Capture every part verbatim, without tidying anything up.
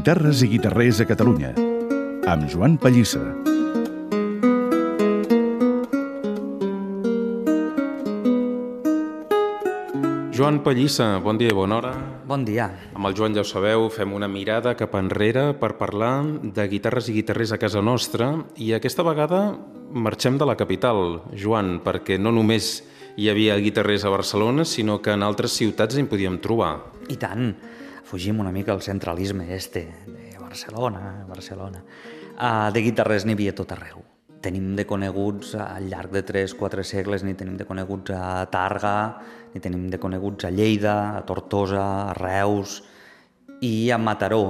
Guitarres i guitarrers a Catalunya, amb Joan Pallissa. Joan Pallissa, bon dia i bona hora. Bon dia. Amb el Joan, ja ho sabeu, fem una mirada cap enrere per parlar de guitarres i guitarrers a casa nostra, i aquesta vegada marxem de la capital, Joan, perquè no només hi havia guitarrers a Barcelona, sinó que en altres ciutats en podíem trobar. I tant. Fugim una mica al centralisme este de Barcelona, Barcelona. Uh, de guitarrers n'hi havia tot arreu. Tenim de coneguts al llarg de tres quatre segles, ni tenim de coneguts a Tàrrega, ni tenim de coneguts a Lleida, a Tortosa, a Reus i a Mataró,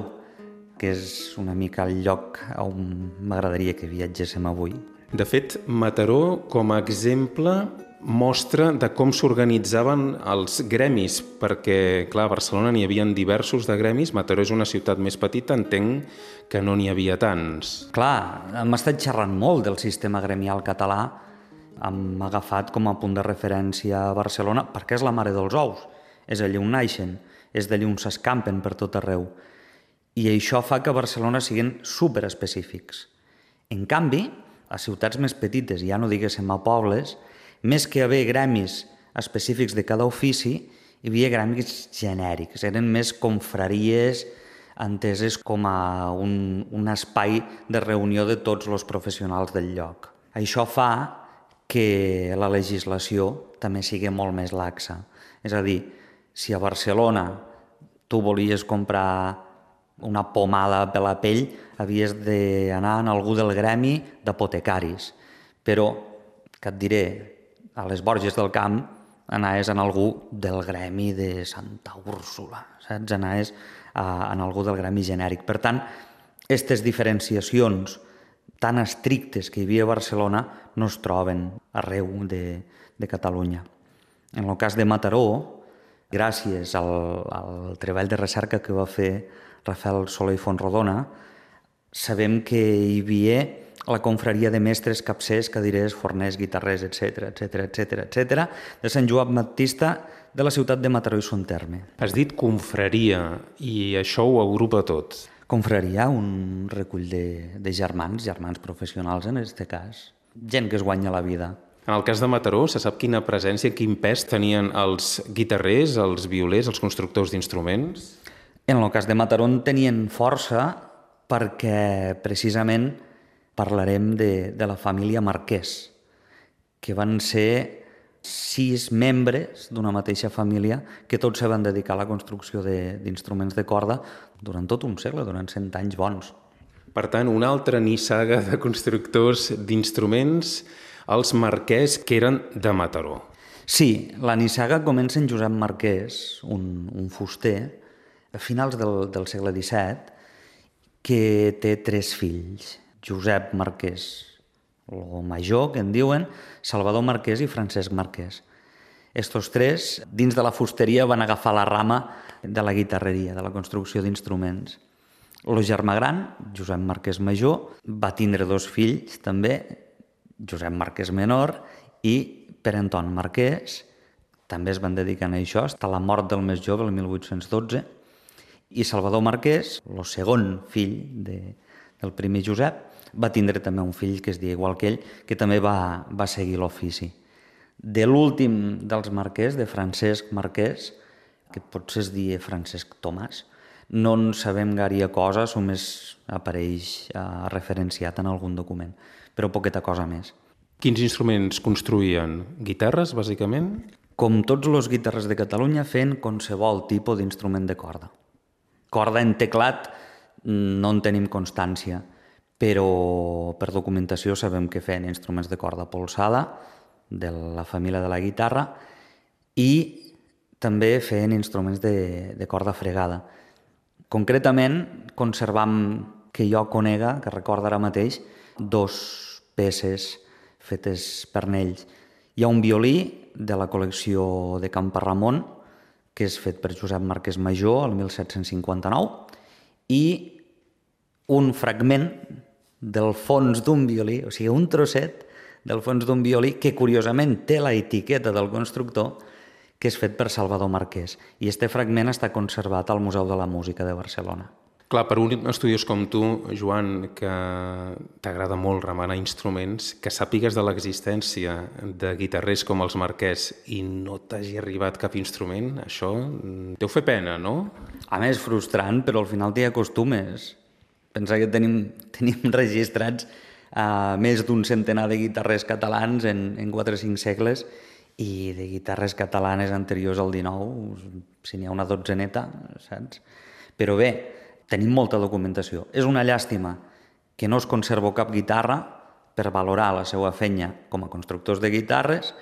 que és una mica el lloc on m'agradaria que viatgéssim avui. De fet, Mataró, com a exemple, mostra de com s'organitzaven els gremis, perquè, clar, a Barcelona n'hi havia diversos de gremis, Mataró és una ciutat més petita, entenc que no n'hi havia tants. Clar, hem estat xerrant molt del sistema gremial català, hem agafat com a punt de referència a Barcelona, perquè és la mare dels ous, és allà on naixen, és d'allà on s'escampen per tot arreu, i això fa que a Barcelona siguin superespecífics. En canvi, a ciutats més petites, ja no diguéssim a pobles, més que haver gremis específics de cada ofici, hi havia gremis genèrics, eren més confraries enteses com a un, un espai de reunió de tots els professionals del lloc. Això fa que la legislació també sigui molt més laxa. És a dir, si a Barcelona tu volies comprar una pomada per la pell, havies d'anar en algú del gremi d'apotecaris. Però, que et diré, a les Borges del Camp anaves en algú del gremi de Santa Úrsula, saps? Anaves a, en algú del gremi genèric. Per tant, aquestes diferenciacions tan estrictes que hi havia a Barcelona no es troben arreu de, de Catalunya. En el cas de Mataró, gràcies al, al treball de recerca que va fer Rafael Soler i Fontrodona, sabem que hi havia la confraria de mestres, capcers, cadirers, forners, guitarrers, etcètera, etcètera, etcètera, etcètera, de Sant Joan Baptista de la ciutat de Mataró i Son Terme. Has dit confraria, i això ho agrupa tot. Confraria, un recull de, de germans, germans professionals en aquest cas, gent que es guanya la vida. En el cas de Mataró, se sap quina presència, quin pes tenien els guitarrers, els violers, els constructors d'instruments? En el cas de Mataró en tenien força perquè precisament parlarem de, de la família Marquès, que van ser sis membres d'una mateixa família que tots se van dedicar a la construcció d'instruments de, de corda durant tot un segle, durant cent anys bons. Per tant, una altra nissaga de constructors d'instruments, els Marquès, que eren de Mataró. Sí, la nissaga comença en Josep Marquès, un, un fuster, a finals del, del segle disset, que té tres fills. Josep Marquès, el major, que en diuen, Salvador Marquès i Francesc Marquès. Estos tres, dins de la fusteria, van agafar la rama de la guitarreria, de la construcció d'instruments. El germà gran, Josep Marquès major, va tindre dos fills també, Josep Marquès menor i Pere Anton Marquès, també es van dedicar a això, fins a la mort del més jove, el mil vuit-cents dotze, i Salvador Marquès, el segon fill de, del primer Josep, va tindre també un fill que es deia igual que ell, que també va, va seguir l'ofici. De l'últim dels Marquès, de Francesc Marquès, que potser es deia Francesc Tomàs, no en sabem gaire cosa, només apareix eh, referenciat en algun document, però poqueta cosa més. Quins instruments construïen? Guitarres, bàsicament? Com tots els guitarres de Catalunya, fent qualsevol tipus d'instrument de corda. Corda en teclat no en tenim constància, però per documentació sabem que feien instruments de corda polsada, de la família de la guitarra, i també feien instruments de, de corda fregada. Concretament, conservam, que jo conega, que recordo ara mateix, dos peces fetes per ells. Hi ha un violí de la col·lecció de Camparramon, que és fet per Josep Marquès Major, el mil set-cents cinquanta-nou, i un fragment del fons d'un violí, o sigui, un trosset del fons d'un violí que, curiosament, té la etiqueta del constructor, que és fet per Salvador Marquès. I este fragment està conservat al Museu de la Música de Barcelona. Clar, per un estudiós com tu, Joan, que t'agrada molt remenar instruments, que sàpigues de l'existència de guitarrers com els Marquès i no t'hagi arribat cap instrument, això deu fer pena, no? A més, frustrant, però al final t'hi acostumes. Pensa que tenim, tenim registrats uh, més d'un centenar de guitarrers catalans en, en quatre o cinc segles i de guitarres catalanes anteriors al dinou, si n'hi ha una dotzeneta, saps? Però bé, tenim molta documentació. És una llàstima que no es conservo cap guitarra per valorar la seva feina com a constructors de guitarres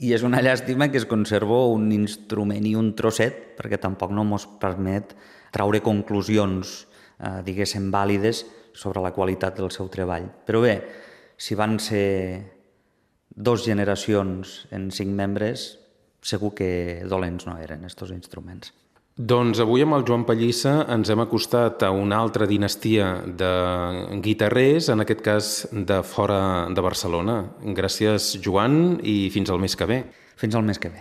i és una llàstima que es conservo un instrument i un trosset perquè tampoc no mos permet traure conclusions, eh, diguéssim, vàlides sobre la qualitat del seu treball. Però bé, si van ser dos generacions en cinc membres, segur que dolents no eren estos instruments. Doncs avui amb el Joan Pallissa ens hem acostat a una altra dinastia de guitarrers, en aquest cas de fora de Barcelona. Gràcies, Joan, i fins al mes que ve. Fins al mes que ve.